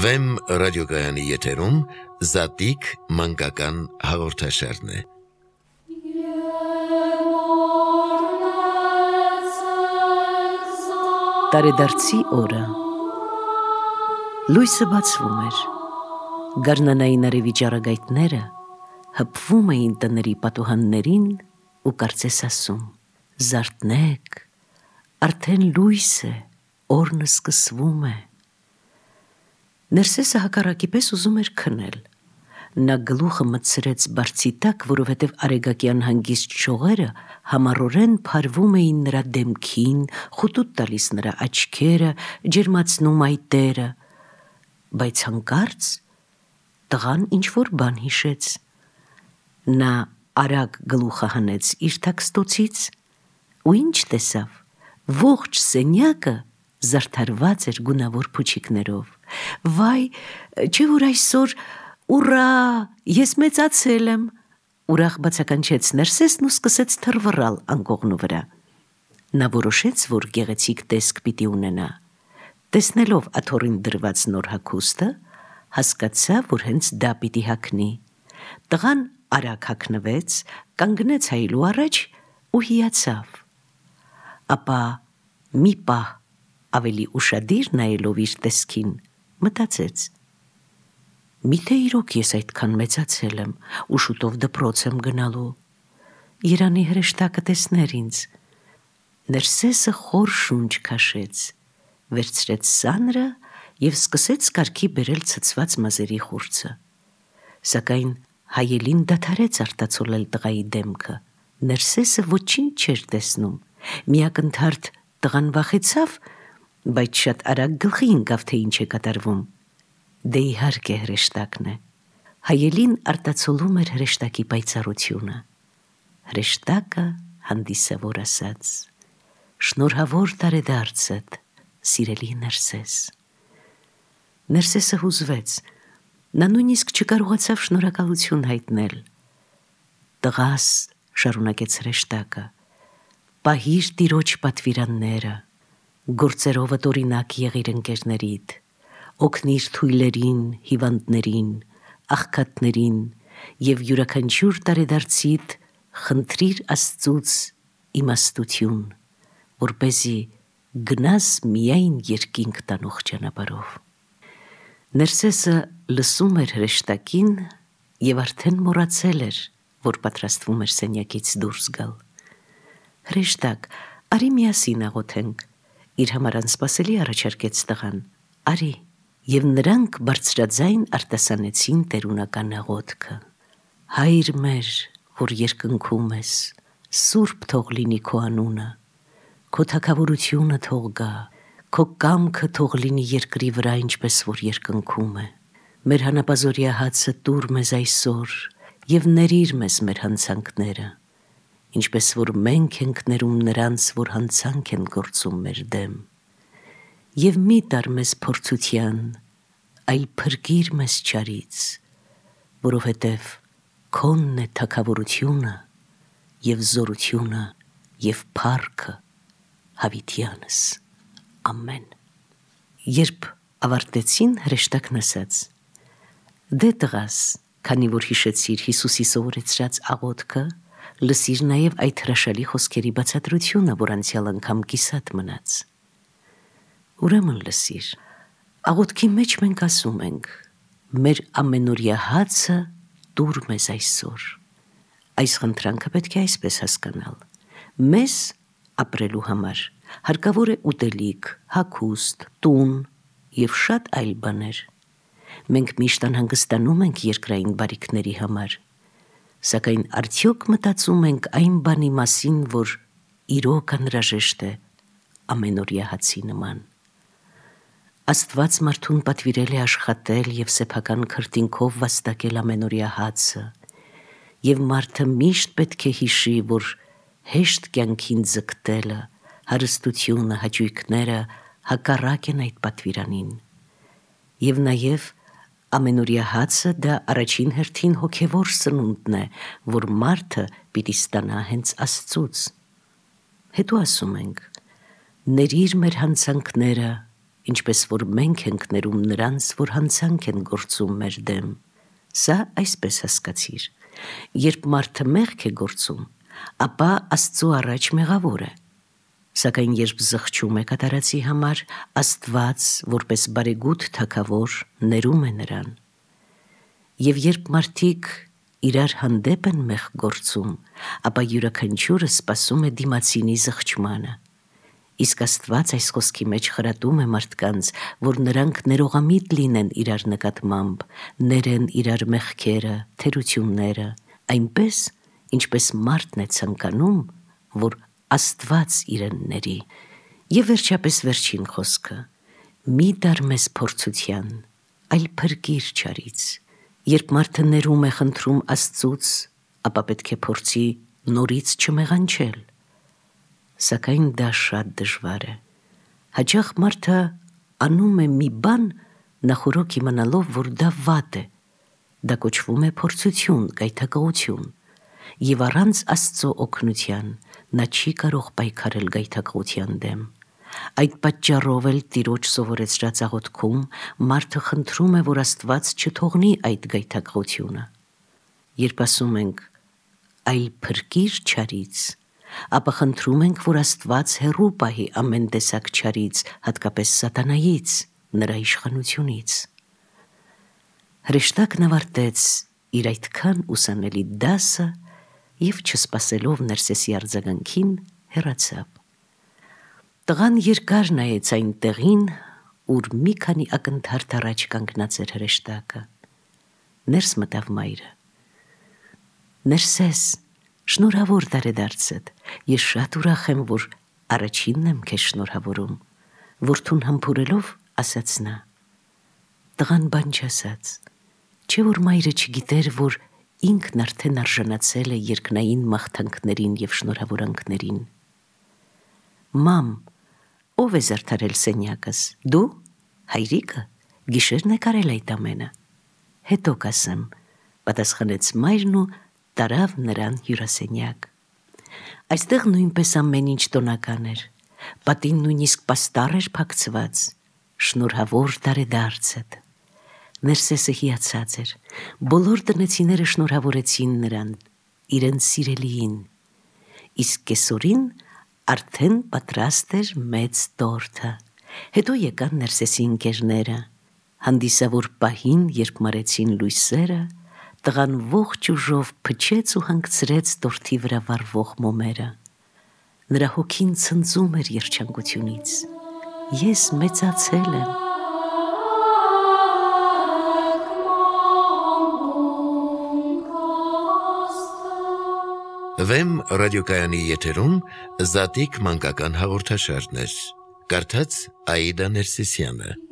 Վեմ ռադիոգայանի եթերում Զատիկ մանկական հաղորդաշարն է։ Տարեդարձի օրը լույսը բացվում էր, գարնանային արևի ճառագայթները հպվում էին տների պատուհաններին ու կարծես ասում. «Զարթնեք, արդեն լույս է, օրն սկսվում է»։ Ներսեսը հակառակի պես ուզում էր քնել։ Նա գլուխը մտցրեց բարձի տակ, որովհետև արեգակյան հանգիստ շողերը համառորեն փարվում էին նրա դեմքին, խուտուտ տալիս նրա աչքերը, ջերմացնում այտերը, բայց հանկարծ տղան ինչ-որ բան հիշեց։ Նա արագ գլուխը հանեց իր թաքստոցից ու ինչ տեսավ, ողջ սենյակը զարդարված էր գունավոր փուչիկներով։ «Վայ, չէ՞ որ այսօր, ուռա, ես մեծացել եմ», ուրախ բացականչեց Ներսեսն ու սկսեց թռվռալ անկողնու վրա։ Նա որոշեց, որ գեղեցիկ տեսք պիտի ունենա։ Տեսնելով աթոռին դրված նոր հագուստը, հասկացավ, որ հենց դա պիտի հագնի։ Տղան արագ հագնվեց, կանգնեց հայելու առաջ ու հիացավ։ Ապա մի պահ ավելի ուշադիր նայելով իր տեսքին, մտածեց. «Միթե իրոք ես այդքան մեծացել եմ ու շուտով դպրոց եմ գնալու, Երանի հրեշտակը տեսներ ինձ»։ Ներսեսը խոր շունչ քաշեց, վերցրեց սանրը և սկսեց կարգի բերել ցցված մազերի խուրձը։ Սակայն Հայելին դադարեց արտացոլել տղայի դեմքը։ Ներսեսը ոչինչ չէր տեսնում։ Միակնթարթ տղան վախեցավ, բայց շատ արագ գլխի ընկավ, թե ինչ է կատարվում։ Դե իհարկե հրեշտակն է։ Հայելին արտացոլում էր հրեշտակի պայծառությունը։ Հրեշտակը հանդիսավոր ասաց. «Շնորհավոր տարեդարձդ, սիրելի Ներսես»։ Ներսեսը հուզվեց։ Նա նույնիսկ չկարողացավ շնորհակալություն հայտնել։ «Տղաս», շարունակեց հրեշտակը, «պահիր տիրոջ պատվիրանները, գործերովդ օրինակ եղիր ընկերներիդ, օգնիր թույլերին, հիվանդներին, աղքատներին և յուրաքանչյուր տարեդարձիդ խնդրիր Աստծուց իմաստություն, որպեսզի գնաս միայն երկինք տանող ճանապարհով»։ Ներսեսը լսում էր հրեշտակին և արդեն մոռացել էր, որ պատրաստվում էր սենյակից դուրս գալ։ «Հրեշտակ, արի միասին աղոթենք», իր համար անսպասելի առաջարկեց տղան։ «Արի»։ Եվ նրանք բարձրաձայն արտասանեցին տերունական աղոթքը. «Հայր մեր, որ երկնքում ես, սուրբ թող լինի քո անունը, քո թագավորությունը թող գա, քո կամքը թող լինի երկրի վրա, ինչպես որ երկնքում է։ Մեր հանապազօրյա հացը տուր մեզ այսօր և ներիր մեզ մեր հանցանքները, ինչպես որ մենք ենք ներում նրանց, որ հանցանք են գործում մեր դեմ, և մի տար մեզ փորձության, այլ փրկիր մեզ չարից, որովհետև քոնն է թագավորությունը և զորությունը և փառքը հավիտյանս։ Ամեն»։ Երբ ավարտեցին, հրեշտակն ասաց. «Դե տղաս, քանի որ հիշեցիր Հիսուսի սովորեցրած աղոթքը, լսիր նաև այդ հրաշալի խոսքերի բացատրությունը, որ անցյալ անգամ կիսատ մնաց»։ Ուրեմն լսիր։ Աղոթքի մեջ մենք ասում ենք. «Մեր ամենօրյա հացը տուր մեզ այսօր»։ Այս խնդրանքը պետք է այսպես հասկանալ. մեզ ապրելու համար հարկավոր է ուտելիք, հագուստ, տուն և շատ այլ բաներ։ Մենք միշտ անհանգստանում ենք երկրային բարիքների համար, սակայն արդյոք մտածում ենք այն բանի մասին, որ իրոք անհրաժեշտ է ամենօրյա հացի նման։ Աստված մարդուն պատվիրել է աշխատել և սեփական քրտինքով վաստակել ամենօրյա հացը, և մարդը միշտ պետք է հիշի, որ հեշտ կյանքին ձգտելը, հարստությունը, հաճույքները հակառակ են այդ պատվիրանին։ Եվ նաև ամենօրյա հացը դա առաջին հերթին հոգևոր սնունդն է, որ մարդը պիտի ստանա հենց Աստծուց։ Հետո ասում ենք. «Ներիր մեր հանցանքները ինչպես որ մենք ենք ներում նրանց, որ հանցանք են գործում մեր դեմ։ Սա այսպես հասկացիր. երբ մարդը մեղք է գործում, ապա Աստծու առաջ մեղավոր է։ Սակայն երբ զղջում է կատարածի համար, Աստված, որպես բարեգութ թագավոր, ներում է նրան։ Եվ երբ մարդիկ իրար հանդեպ են մեղք գործում, ապա յուրաքանչյուրը սպասում է դիմացինի զղջմանը։ Իսկ Աստված այս խոսքի մեջ խրատում է մարդկանց, որ նրանք ներողամիտ լինեն իրար նկատմամբ, ներեն իրար մեղքերը, թերությունները, այնպես, ինչպես մարդն է ցանկանում, որ Աստված իրեն ների։ Եվ վերջապես վերջին խոսքը. մի դար մեզ փորձության, այլ փրկիր չարից։ Երբ մարդը ներում է խնդրում Աստծուց, ապա պետք է փորձի նորից չմեղանչել։ Սակայն դա շատ դժվար է։ Հաճախ մարդը անում է մի բան, նախօրոք իմանալով, որ դա վատ է։ Դա կոչվում է փորձություն, գայթակղություն։ Եվ առանց Աստծո օգնության նա չի կարող պայքարել գայթակղության դեմ։ Այդ պատճառով էլ Տիրոջ սովորեցրած աղոթքում մարդը խնդրում է, որ Աստված չթողնի այդ գայթակղությունը։ Երբ ասում ենք այլ փրկիր չարից, ապա խնդրում ենք, որ Աստված հեռու պահի ամեն տեսակ չարից, հատկապես սատանայից, նրա իշխանությունից։ Հրեշտակն ավարտեց իր այդքան ուսանելի դասը և չսպասելով Ներսեսի արձագանքին հեռացավ։ Տղան երկար նայեց այն տեղին, ուր մի քանի ակնթարթ առաջ կանգնած էր հրեշտակը։ Ներս մտավ մայրը։ Ներսես, շնորհավոր տարեդարձդ, ես շատ ուրախ եմ, որ առաջինն եմ քեզ շնորհավորում, որդուն համբուրելով ասաց նա։ Տղան բան չասաց, չէ որ մայրը չգիտեր, որ ինքն արդեն արժանացել է երկնային մաղթանքներին և շնորհավորանքներին։ Մամ, ով է զարդարել սենյակս, դու, հայրիկը, գիշերն է կարել այդ ամենը։ Հետո կասեմ, պատասխանեց մայրն ու տարավ նրան հյուրասենյակ։ Այստեղ նույնպես ամեն ինչ տոնական էր, պատին նույնիսկ պաստառ էր փակցված, շնորհավոր տարեդարձդ։ Ներսեսը հիացած էր, բոլոր տնեցիները շնորհավորեցին նրան, իրենց սիրելիին, իսկ կեսօրին արդեն պատրաստ էր մեծ տորթը։ Հետո եկան Ներսեսի ընկերները, հանդիսավոր պահին, երբ մարեցին լույսերը, տղան ողջ ուժով փչեց ու հանգցրեց տորթի վրա վառվող մոմերը։ Նրա հոգին ցնծում էր երջանկությունից։ Ես մեծացել եմ։ Վեմ ռադիոկայանի եթերում Զատիկ մանկական հաղորդաշարներ։ Կարդաց Աիդա Ներսիսյանը։